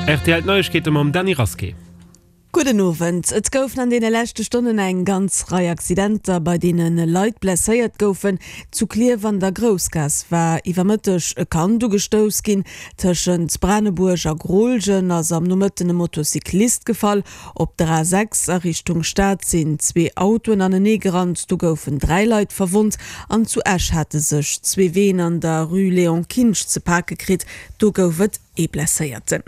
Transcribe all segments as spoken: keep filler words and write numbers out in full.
Rtl D'Neiegkeete mam Dany Rasqué. Gudden Owend. Et goufen an deene leschte Stonnen eng ganz Rei Accidenter, bei deene Leit blesséiert goufen. Zu Klierf an der Groussgaass war iwwer Mëtteg e Kand ugestouss ginn. Tëschent Branebuerg a Grooljen ass am Nomëtten e Motocyclist gefall. Op der A sechs a Richtung Stad sinn zwee Autoen anenee gerannt, do goufen dräi Leit verwonnt. An zu Esch hate sech zwee Ween an der Rue Léon Kinsch ze pake kritt, do gouf et ee Blesséierten.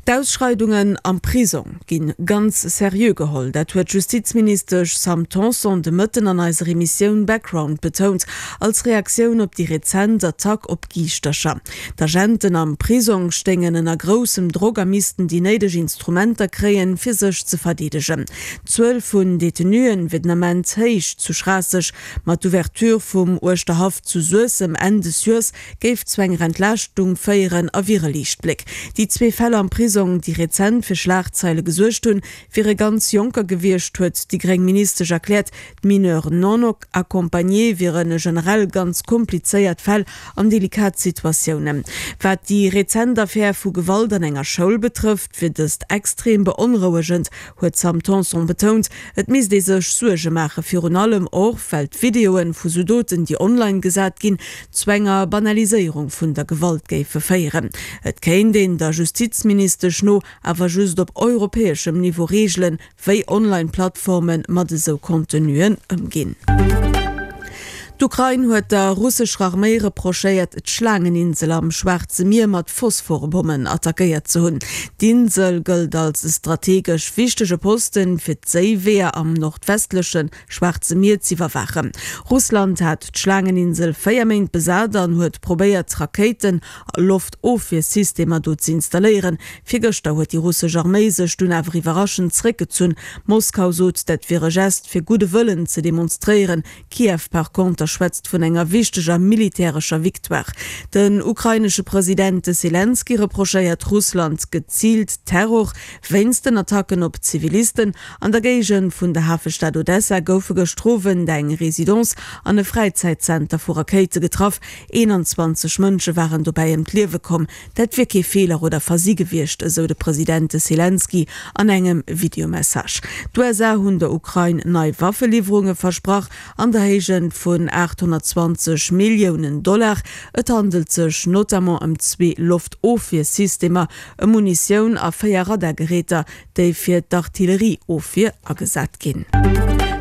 D'Ausschreidungen am Prisong gi ganz seriö geholl. Dat huet d'Justizministesch Sam Tanson de Mëtten an eiser Emissioun Background betount, als Reaktioun op déi rezent Attack op Giischtercher. D'Agenten am Prisong stéingen ënner groussem Drock a missten déi néideg Instrumenter kréien, fir sech ze verdeedegen. D'Zuel vun Detenuen wier den Ament héich zu Schraasseg, ma d'Ouverture vum Uerschterhaff zu Suessem Enn des Joers géif zu enger Entlaaschtung féieren a wier e Liichtbléck. Déi zwee Fäll am Prisong, déi rezent fir Schlagzeile gesuergt hunn, wiere ganz Jonker gewiescht, huet déi gréng Ministesch erkläert. D'Mineurs non accompagnés wiere generell ganz komplizéiert Fäll an delikat Situatiounen. Wat déi rezent Affär vu Gewalt an enger Schoul betrëfft, wier dëst extrem beonrouegend, huet d'Sam Tanson betount. Et misst ee sech Suerge maachen, virun allem och, well d'Videoe vu sou Doten, déi online gesat ginn, zu enger Banaliséierung vun der Gewalt géife féieren. Et kéint een der Justizministesch no awer just op europäeschem Niveau reegelen, wéi Online-Plattforme mat esou Contenuen ëmginn. D'Ukrain huet der russescher Arméi reprochéiert, d'Schlaangeninsel am Schwaarze Mier mat Phosphorbommen attackéiert ze hunn. D'Insel gëllt als strategesch wichtege Posten, fir d'Séiweeër am nordwestleche Schwaarze Mier z'iwwerwaachen. Russland hat d'Schlaangeninsel véier Méint besat an huet probéiert, Rakéiten a Loftofwiersystemer do z'installéieren. Virgëschter huet déi russesch Arméi sech dunn awer iwwerraschend zeréckgezunn. Moskau sot, dat wier e Gest, fir gudde Wëllen ze demonstréieren. Kiew par konter schwätzt vun enger wichteger militärescher Victoire. Den ukrainesche President Selenskyj reprochéiert Russland geziilt Terror wéinst den Attacken op Zivilisten. An der Géigend vun der Hafestad Odessa goufe gëschter Owend eng Residence an e Fräizäitzenter vu Rakéite getraff. eenanzwanzeg Mënsche waren dobäi ëm d'Liewe komm. Dat wier kee Feeler oder Versi gewiescht, esou de President Selenskyj an engem Videomessage. D'U S A hunn der Ukrain nei Waffeliwwerunge versprach an der Héigent vun aathonnertzwanzeg Milliounen Dollar. Et handelt sech notamment ëm zwee Loftofwiersystemer, ëm Munitioun a véier Radargeräter, déi fir d'Artillerieofwier agesat ginn.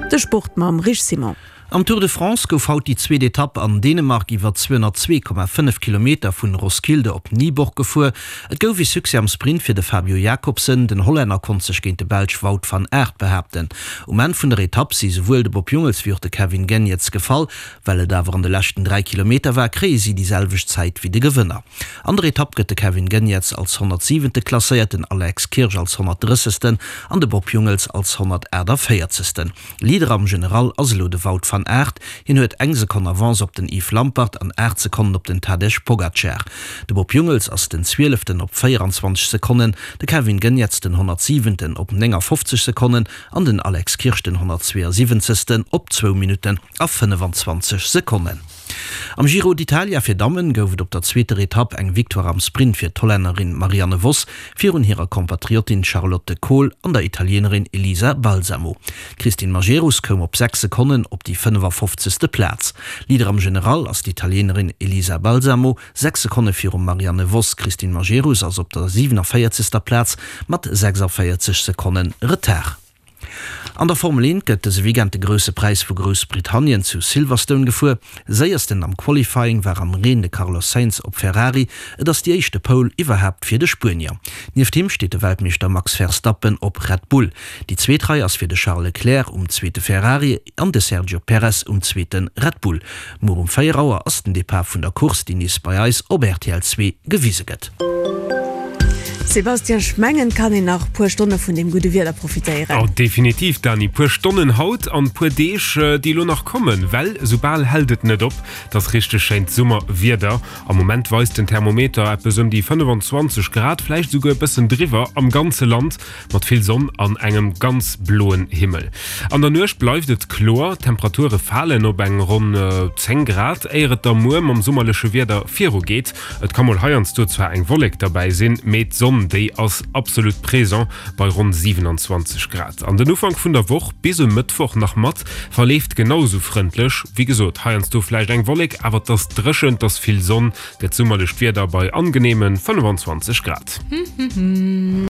De Sport mam Rich Simon. Am Tour de France gouf haut déi zweet Etapp an Dänemark iwwer zweehonnertzwee Komma fënnef Kilometer vun Roskilde op Nyborg gefuer. Et gouf ee Succès am Sprint fir de Fabio Jakobsen. Den Hollänner konnt sech géint de Belsch Wout van Aert behaapten. Um Enn vun der Etapp si souwuel de Bob Jungels wéi och de Kevin Geniets gefall. Well et awer an de leschten dräi Kilometer war, kréie si déi selwecht Zäit wéi de Gewënner. An der Etapp gëtt de Kevin Geniets als honnertsiwente klasséiert, den Alex Kirsch als honnertdrëssegsten an de Bob Jungels als honnertaachtavéierzegsten. Leader am General ass elo de Wout van Aert. Hien huet eng Sekonn Avance op den Yves Lampaert an aacht Sekonnen op den Tadej Pogacar. De Bob Jungels ass den Zwieleften op véieranzwanzeg Sekonnen, de Kevin Geniets den honnertsiwenten op néngafofzeg Sekonnen an den Alex Kirsch den honnertzweeësiwwenzegsten op zwou Minutten a fënnefenzwanzeg Sekonnen. Am Giro d'Italia fir Dammen gouf et op der zweeter Etapp eng Victoire am Sprint fir d'Hollännerin Marianne Vos virun hirer Kompatriotin Charlotte Kohl an der Italienerin Elisa Balsamo. D'Christine Majerus koum op sechs Sekonnen op déi fënnefafofzegste Plaz. Leader am General ass d'Italienerin Elisa Balsamo, sechs Sekonne virum Marianne Vos. D'Christine Majerus ass op der siwenavéierzegster Plaz mat sechsavéierzeg Sekonne Retard. An der Formel eent gëtt dëse Weekend de Grousse Präis vu Groussbritannien zu Silverstone gefuer. Séiersten am Qualifying war am Reen de Carlos Sainz op Ferrari. Et ass déi éischte Pole iwwerhaapt fir de Spuenier. Nieft him steet de Weltmeeschter Max Verstappen op Red Bull. Déi zweet Rei ass fir de Charles Leclerc um zweete Ferrari an de Sergio Perez um zweete Red Bull. Muer um véier Auer ass den Depart vun der Course, déi nees bei eis op R T L zwee gewise gëtt. Sébastien, ech mengen, et kann een nach puer Stonne vun deem gudde Wieder profitéieren. Oh, definitiv, Dany. Puer Stonnen haut an puer Deeg, déi elo nach kommen, well soubal hält et net op. Et ass richteg schéint Summerwieder. Am Moment weist den Thermometer eppes ëm déi fënnefenzwanzeg Grad, vläicht esouguer e bëssen driwwer am ganze Land, mat vill Sonn an engem ganz bloen Himmel. An der Nuecht bleift et kloer, d'Temperature falen op eng ronn zéng Grad, éier et da muer mam summerleche Wieder virugeet. Et ka mol heiansdo zwar eng Wollek derbäi sinn, mee d'Sonn D'Sonn, déi ass absolut présent bei ronn siwenanzwanzeg Grad. An den Ufank vun der Woch bis e Mëttwoch nach mat verleeft genau sou frëndlech. Wéi gesot, heiansdo vläicht eng Wollek, awer et ass dréchen, et ass vill Sonn, gëtt summerlecht Wieder bei angeneeme fënnefenzwanzeg Grad.